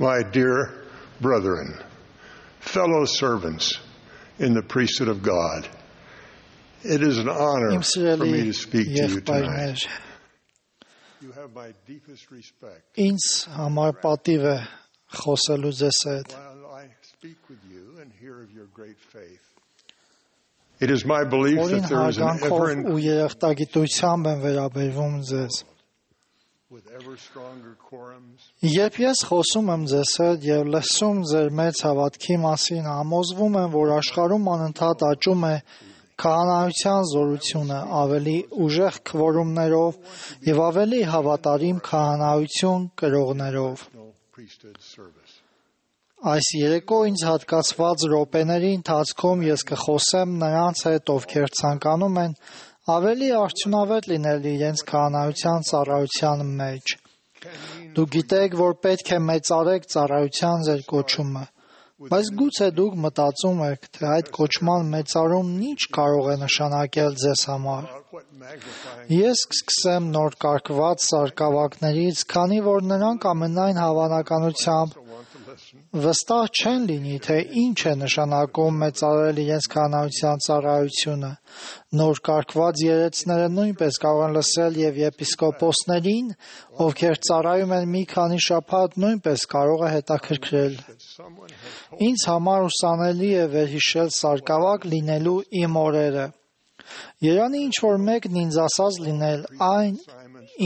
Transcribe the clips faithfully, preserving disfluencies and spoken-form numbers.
my dear brethren, fellow servants in the priesthood of God, it is an honor for me to speak to you tonight. You have my deepest respect. Ինձ համար պատիվ է խոսելու ձեզ հետ. While I speak with you and hear of your great faith, it is my belief that there is an ever ու երախտագիտությամբ եմ վերաբերվում ձեզ. with ever stronger quorums. Երբ ես խոսում եմ ձեզ հետ եւ լսում ձեր մեծ հավատքի մասին, համոզվում եմ, որ աշխարհում անընդհատ աճում է քահանայության զորությունը ավելի ուժեղ քվորումներով եւ ավելի հավատարիմ քահանայություն կրողներով. Այս երեկո ինձ հատկացված րոպեների ընթացքում ես կխոսեմ նրանց հետ, ովքեր ցանկանում են ավելի արդյունավետ լինել իրենց քահանայության ծառայության մեջ. Դուք գիտեք, որ պետք է մեծարեք ծառայության ձեր կոչումը. Բայց գուցե դուք մտածում եք, թե այդ կոչման մեծարումն ինչ կարող է նշանակել ձեզ համար. Ես կսկսեմ նոր կարգված սարկավակներից, քանի որ նրանք ամենայն հավանականությամբ վստահ չեն լինի, թե ինչ է նշանակում մեծարել իրենց քահանայության ծառայությունը. Նոր կարգված երեցները նույնպես կարող են լսել և եպիսկոպոսներին, ովքեր ծառայում են մի քանի շաբաթ, նույնպես կարող է հետաքրքրել. Ինձ համար ուսանելի է վերհիշել սարկավակ լինելու իմ օրերը. Երանի ինչ-որ մեկն ինձ ասած լինել այն,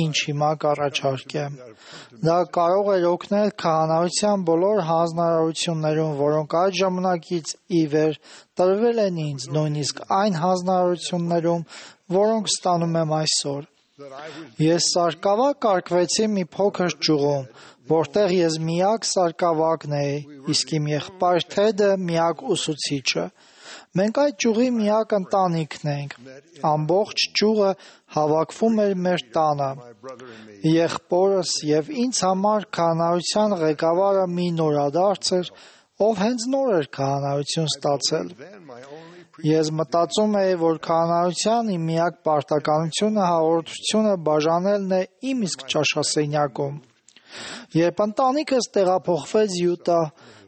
ինչ հիմա կառաջարկեմ. Դա կարող էր օգնել քահանայության բոլոր հանձնարարություններում, որոնք այդ ժամանակից ի վեր տրվել են ինձ, նույնիսկ այն հանձնարարություններում, որոնք ստանում եմ այսօր. Ես սարկավակ կարգվեցի մի փոքր ճյուղում, որտեղ ես միակ սարկավակն էի, իսկ իմ եղբայր Թեդը միակ ուսուցիչը. Մենք այդ ճյուղի միակ ընտանիքն ենք. ամբողջ ճյուղը հավաքվում էր մեր տանը. Եղբորս և ինձ համար քահանայության ղեկավարը մի նորադարձ էր, ով հենց նոր էր քահանայություն ստացել. Ես մտածում էի, որ քահանայության իմ միակ պարտականությունը հաղորդությունը բաժանելն է իմ իսկ ճաշասենյակում. Երբ ընտանիքս տեղափոխվեց Յուտա,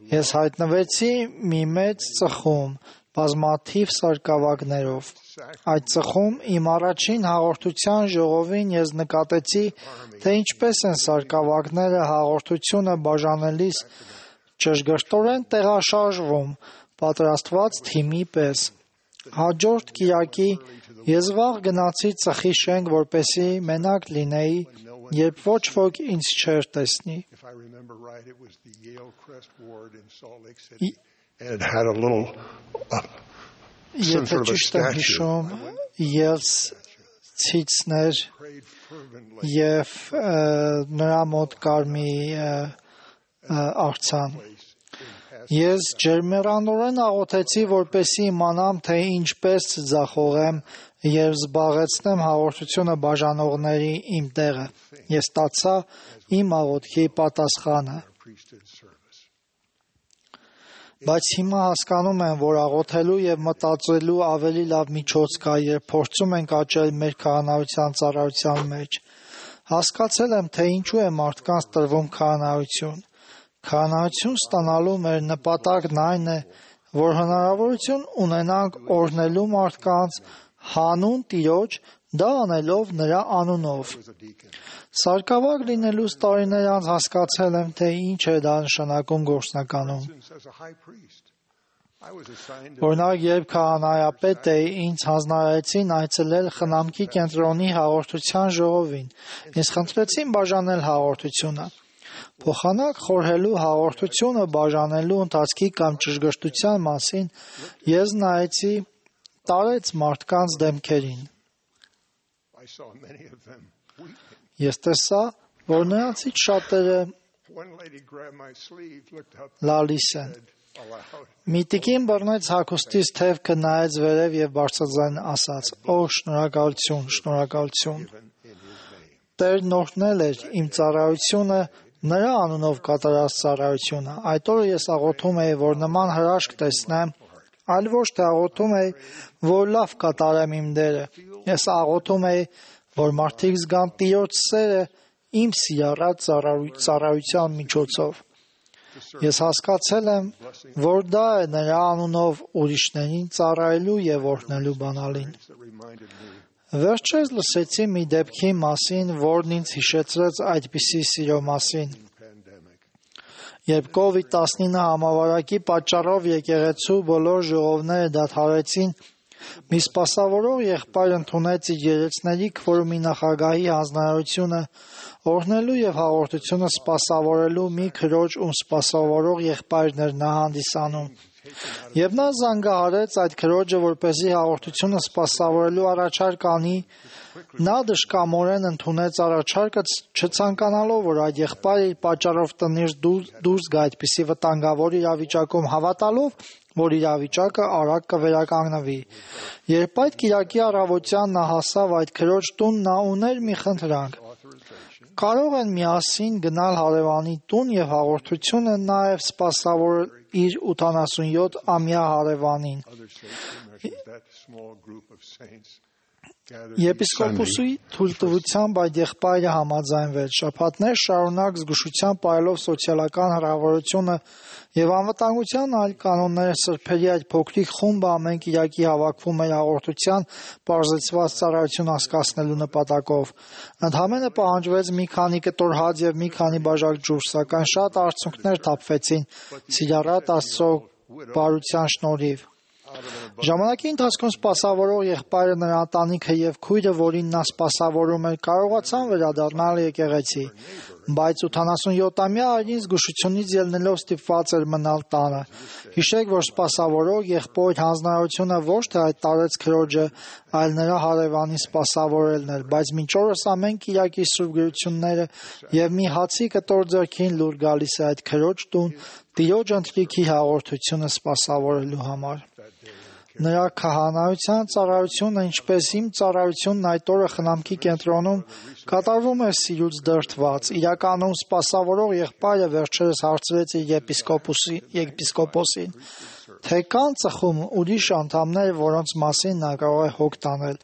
ես հայտնվեցի մի մեծ ծխում, բազմաթիվ սարկավակներով. Այդ ծխում իմ առաջին հաղորդության ժողովին ես նկատեցի, թե ինչպես են սարկավակները հաղորդությունը բաժանելիս ճշգրտորեն տեղաշարժվում, պատրաստված թիմի պես. Հաջորդ կիրակի ես վաղ գնացի ծխի շենք, որպեսզի մենակ լինեի, երբ ոչ ոք ինձ չէր տեսնի. It had a little uh, some Եթե sort of a ճիշտ եմ statue. հիշում, Ելս ցիցներ եւ ը, նրա մոտ կար մի ը, ը, արձան. Ես ջերմեռանորեն աղոթեցի, որպեսզի իմանամ, թե ինչպես ձախողեմ եւ զբաղեցնեմ հաղորդությունը բաժանողների իմ տեղը. Ես ստացա իմ աղոթքի պատասխանը. Բայց հիմա հասկանում եմ, որ աղոթելու եւ մտածելու ավելի լավ միջոց կա, երբ փորձում ենք աճել մեր քահանայության ծառայության մեջ. Հասկացել եմ, թե ինչու է մարդկանց տրվում քահանայություն. Քահանայություն ստանալու մեր նպատակն այն է, որ հնարավորություն ունենանք օրհնելու մարդկանց հանուն Տիրոջ, դա անելով նրա անունով. Սարկավակ լինելուց տարիներ անց հասկացել եմ, թե ինչ է դա նշանակում գործնականում. Օրինակ, երբ քահանայապետ էի, ինձ հանձնարարեցին այցելել խնամքի կենտրոնի հաղորդության ժողովին. Ես խնդրեցին բաժանել հաղորդությունը. Փոխանակ խորհելու հաղորդությունը բաժանելու ընթացքի կամ ճշգրտության մասին ես նայեցի տարեց մարդկանց դեմքերին. Ես տեսա, որ նրանցից շատերը լալիս են. Մի տիկին բռնեց հագուստից թևքը, նայեց վերև եւ բարձրաձայն ասաց. «Օ, շնորհակալություն, շնորհակալություն»։ Տերն օրհնել էր իմ ծառայությունը, նրա անունով կատարած ծառայությունը։ Այդ օրը ես աղոթում էի, որ նման հրաշք տեսնեմ, այլ ոչ թե աղոթում էի, որ լավ կատարեմ իմ դերը։ Ես աղոթում էի, որ մարդիկ զգան Տիրոջ սերը իմ սիրառած ծառայության միջոցով։ Ես հասկացել եմ, որ դա է նրա անունով ուրիշներին ծառայելու եւ օրհնելու բանալին։ Վերջերս լսեցի մի դեպքի մասին, որն ինձ հիշեցրեց այդպիսի սիրո մասին։ Երբ կովիդ տասնինը համավարակի պատճառով եկեղեցու բոլոր ժողովները դադարեցին, մի սպասավորող եղբայր ընդունեց իր երեցների քվորումի նախագահի հանձնարարությունը օրհնելու եւ հաղորդությունը սպասավորելու մի քրոջ, ում սպասավորող եղբայրն էր նա հանդիսանում։ Եվ նա զանգահարեց այդ քրոջը, որպեսզի հաղորդությունը սպասավորելու առաջարկ անի, նա դժկամորեն ընդունեց առաջարկը, չցանկանալով, որ այդ եղբայրը իր պատճառով տնից դուրս գա այդպիսի վտանգավոր իրավիճակում, հավատալով, որ իրավիճակը արագ կվերականգնվի։ Երբ այդ կիրակի առավոտյան նա հասավ այդ քրոջ տուն, նա ուներ մի խնդրանք։ Կարող են միասին գնալ հարևանի տուն եւ հաղորդությունը նաեւ սպասավորել իր ութանասունյոթ-ամյա հարևանին։ Եպիսկոպոսի թույլտվությամբ այդ եղբայրը համաձայնվեց։ Շաբաթներ շարունակ զգուշությամբ պահելով սոցիալական հեռավորությունը եւ անվտանգության այլ կանոնները սրբերի այդ փոքրիկ խումբը ամեն կիրակի հավաքվում էր հաղորդության բարձրացված ծառայություն հասկացնելու նպատակով։ Ընդհանրապես պահանջվեց մի քանի կտոր հաց եւ մի քանի բաժակ ջուր, սակայն շատ արդյունքներ թափվեցին Սիրառատ Աստծո բարության շնորհիվ։ Ժամանակի ընթացքում սպասավորող եղբայրը, նրա ընտանիքը եւ քույրը, որին նա սպասավորում էր, կարողացան վերադառնալ եկեղեցի, բայց ութանասունյոթ-ամյա այրին զգուշությունից ելնելով ստիպված էր մնալ տանը։ Հիշեք, որ սպասավորող եղբոր հանձնարարությունը ոչ թե հայտարարեց քրոջը, այլ նրա հարևանի սպասավորելն էր, բայց մինչ օրս ամեն կիրակի սուրբ գրությունները եւ մի հացի կտոր ձեռքին լուր գալիս է այդ քրոջ տուն Տիրոջ ընթրիքի հաղորդությունը սպասավորելու համար։ Նրա քահանայության ծառայությունը, ինչպես իմ ծառայությունն այդ օրը խնամքի կենտրոնում, կատարվում էր սիրուց դրդված։ Իրականում սպասավորող եղբայրը վերջերս հարցրեց իր եպիսկոպոսին, թե կան ծխում ուրիշ անդամներ, որոնց մասին նա կարող է հոգ տանել։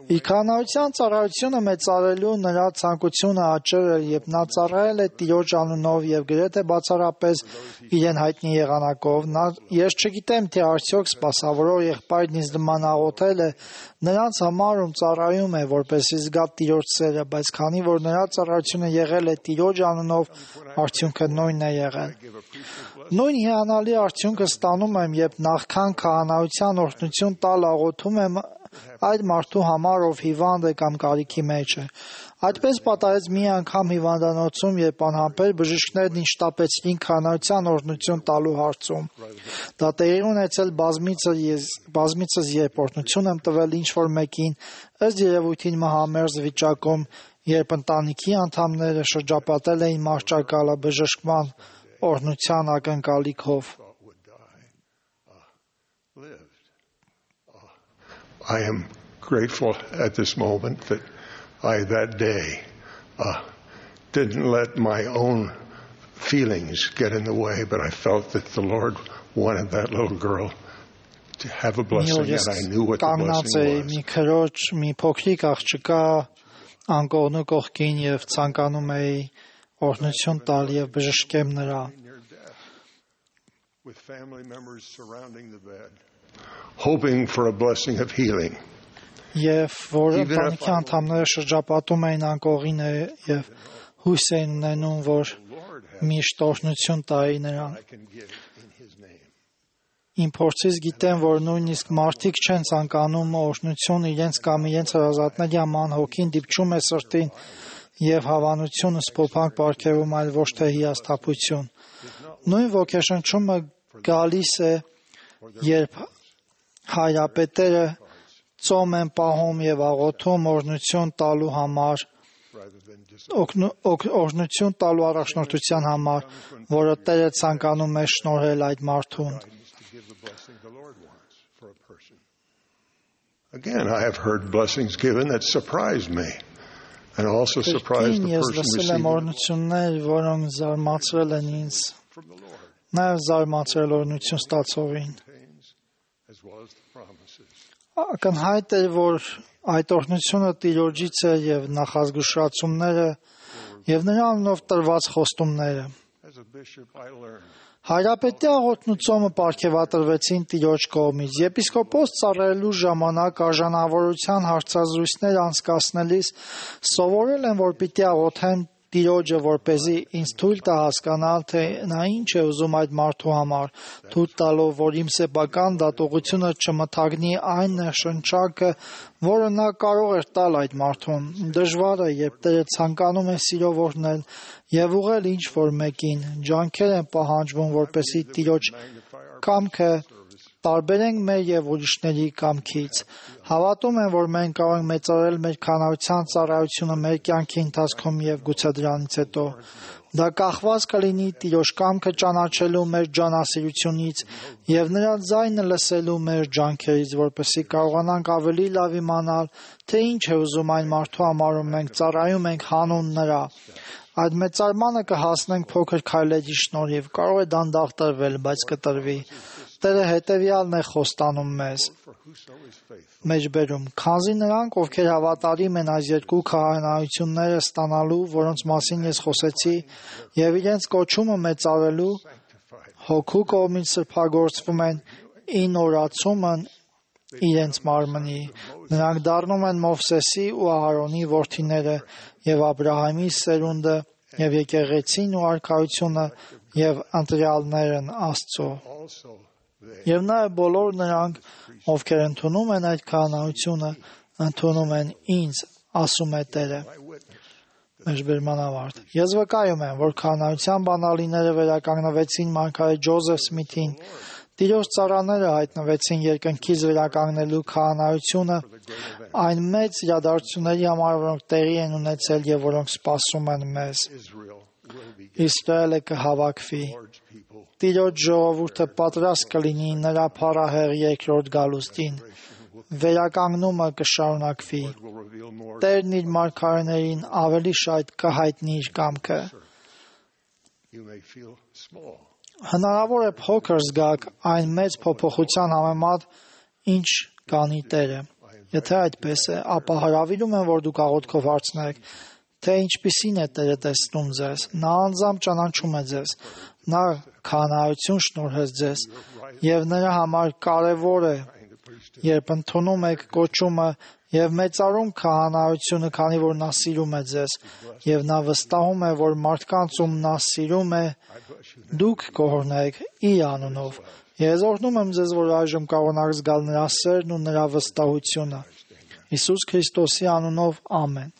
Իր քահանայության ծառայությունը մեծարելու նրա ցանկությունը աճել էր, երբ նա ծառայել է Տիրոջ անունով եւ գրեթե բացառապես իրեն հայտնի եղանակով։ Նա ես չգիտեմ, թե արդյոք սպասավորող եղբայրն ինձ նման աղոթել է նրանց համար, ում ծառայում է, որպեսզի զգա Տիրոջ սերը, բայց քանի որ նրա ծառայությունը եղել է Տիրոջ անունով, արդյունքը նույնն է եղել։ Նույն հիանալի արդյունքը ստանում եմ, երբ նախքան քահանայության օրհնություն տալ աղոթում եմ այդ մարդու համար, ով հիվանդ է կամ կարիքի մեջ է։ Այդպես պատահեց մի անգամ հիվանդանոցում, երբ անհամբեր բժիշկներն ինձ շտապեցրին քահանայության օրհնություն տալու հարցում։ Դա տեղի ունեցել բազմիցս, բազմիցս երբ օրհնություն եմ տվել ինչ-որ մեկին, ըստ երևույթին մահամերձ վիճակում, երբ ընտանիքի անդամները շրջապատել էին մահճակալը բժշկման օրհնության ակնկալիքով։ I am grateful at this moment that I, that day, uh, didn't let my own feelings get in the way, but I felt that the Lord wanted that little girl to have a blessing, and I knew what the blessing was. Mi քրոջ, մի փոքրիկ աղջկա անկողնու կողքին եւ ցանկանում էի օրհնություն տալ եւ բժշկեմ նրան։ With family members surrounding the bed, hoping for a blessing of healing. Եվ որ ընտանիքի անդամները շրջապատում էին անկողին եւ հույս էին ունենում, որ միշտ օրհնություն տայի նրան։ Իմ փորձից գիտեմ, որ նույնիսկ մարդիկ չեն ցանկանում օրհնություն իրենց կամ իրենց հրազատների համար, հոգին դիպչում է սրտին եւ հավանությունը սփոփանք պարգևում, այլ ոչ թե հիասթափություն։ Նույն ոգեշնչումը գալիս է, երբ հայրապետերը ծոմ են պահում եւ աղոթում օրհնություն տալու համար, օրհնություն տալու առաջնորդության համար, որը Տերը ցանկանում է շնորհել այդ մարդուն։ Again, I have heard blessings given that surprised me and also surprised the person receiving. Օրհնություններ, որոնք զարմացրել են ինձ, նաեւ զարմացրել օրհնություն ստացողին։ Ակնհայտ է, որ այդ օրհնությունը Տիրոջից է եւ նախազգուշացումները եւ նրա անունով տրված խոստումները։ Հայրապետի աղոթն ու ծոմը պարգևատրվեցին Տիրոջ կողմից։ Եպիսկոպոս ծառայելու ժամանակ արժանավորության հարցազրույցներ անցկացնելիս սովորել են, որ պիտի աղոթեն Տիրոջը, որպեսզի ինձ թույլ տա հասկանալ, թե նա ինչ է ուզում այդ մարդու համար, թույլ տալով, որ իմ սեփական դատողությունը չմթագնի այն ներշնչակը, որը նա կարող էր տալ այդ մարդուն։ Դժվար է, երբ Տերը ցանկանում է սիրով օրհնել եւ ուղղել ինչ-որ մեկին, ջանքեր են պահանջվում, որպեսզի Տիրոջ կամքը տարբերենք մեր եւ ուրիշների կամքից։ Հավատում եմ, որ մենք կարող ենք մեծարել մեր քանարության ծառայությունը մեր կյանքի ընթացքում եւ գուցե դրանից հետո։ Դա կախված կլինի Տիրոջ կամքը ճանաչելու մեր ջանասիրությունից եւ նրա ձայնը լսելու մեր ջանքերից, որպեսզի կարողանանք ավելի լավ իմանալ, թե ինչ է ուզում այն մարդու համար, ում մենք ծառայում ենք հանուն նրա։ Այդ մեծարմանը կհասնենք փոքր քայլերի շնորհիվ։ Կարող է դանդաղ տրվել, բայց կտրվի։ Տերը հետևյալն է խոստանում մեզ։ Մեջբերում, քանզի նրանք, ովքեր հավատարիմ են այս երկու քահանայությունները ստանալու, որոնց մասին ես խոսեցի, եւ իրենց կոչումը մեծարելու, հոգու կողմից սրբագործվում են ին օրացումն իրենց մարմնի։ Նրանք դառնում են Մովսեսի ու Ահարոնի որդիները եւ Աբրահամի սերունդը եւ եկեղեցին ու արքայությունը եւ ընտրյալներն Աստծո։ Եվ նաև բոլոր նրանք, ովքեր ընդունում են այդ քահանայությունը, ընդունում են ինձ, ասում է Տերը։ Մեջբերման ավարտ։ Ես վկայում եմ, որ քահանայության բանալիները վերականգնվեցին մարգարետ Ջոզեֆ Սմիթին, Տիրոջ ծառաները հայտնվեցին երկնքից վերականգնելու քահանայությունը այն մեծ իրադարձությունների համար, որոնք տեղի են ունեցել եւ որոնք սպասում են մեզ։ Իսրայելը կհավաքվի։ Տիրոջ ժողովուրդը պատրաստ կլինի նրա փառահեղ երկրորդ գալուստին։ Վերականգնումը կշարունակվի։ Տերն իր մարգարեներին ավելի շատ կհայտնի իր կամքը։ Հնարավոր է փոքր զգաք այն մեծ փոփոխության համեմատ, ինչ կանի Տերը։ Եթե այդպես է, ապա հրավիրում եմ, որ դուք աղոթքով հարցնեք, թե ինչպիսին է Տերը տեսնում ձեզ։ Նա անձամբ ճանաչում է ձեզ։ Նա քահանայություն շնորհեց ձեզ, եւ նրա համար կարևոր է, երբ ընդունում եք կոչումը եւ մեծարում քահանայությունը, քանի որ նա սիրում է ձեզ, եւ նա վստահում է, որ մարդկանց, ում նա սիրում է, դուք կօրհնեք իր անունով։ Ես օրհնում եմ ձեզ, որ այժմ կարողանաք զգալ նրա սերն ու նրա վստահությունը։ Հիսուս Քրիստոսի անունով, ամեն։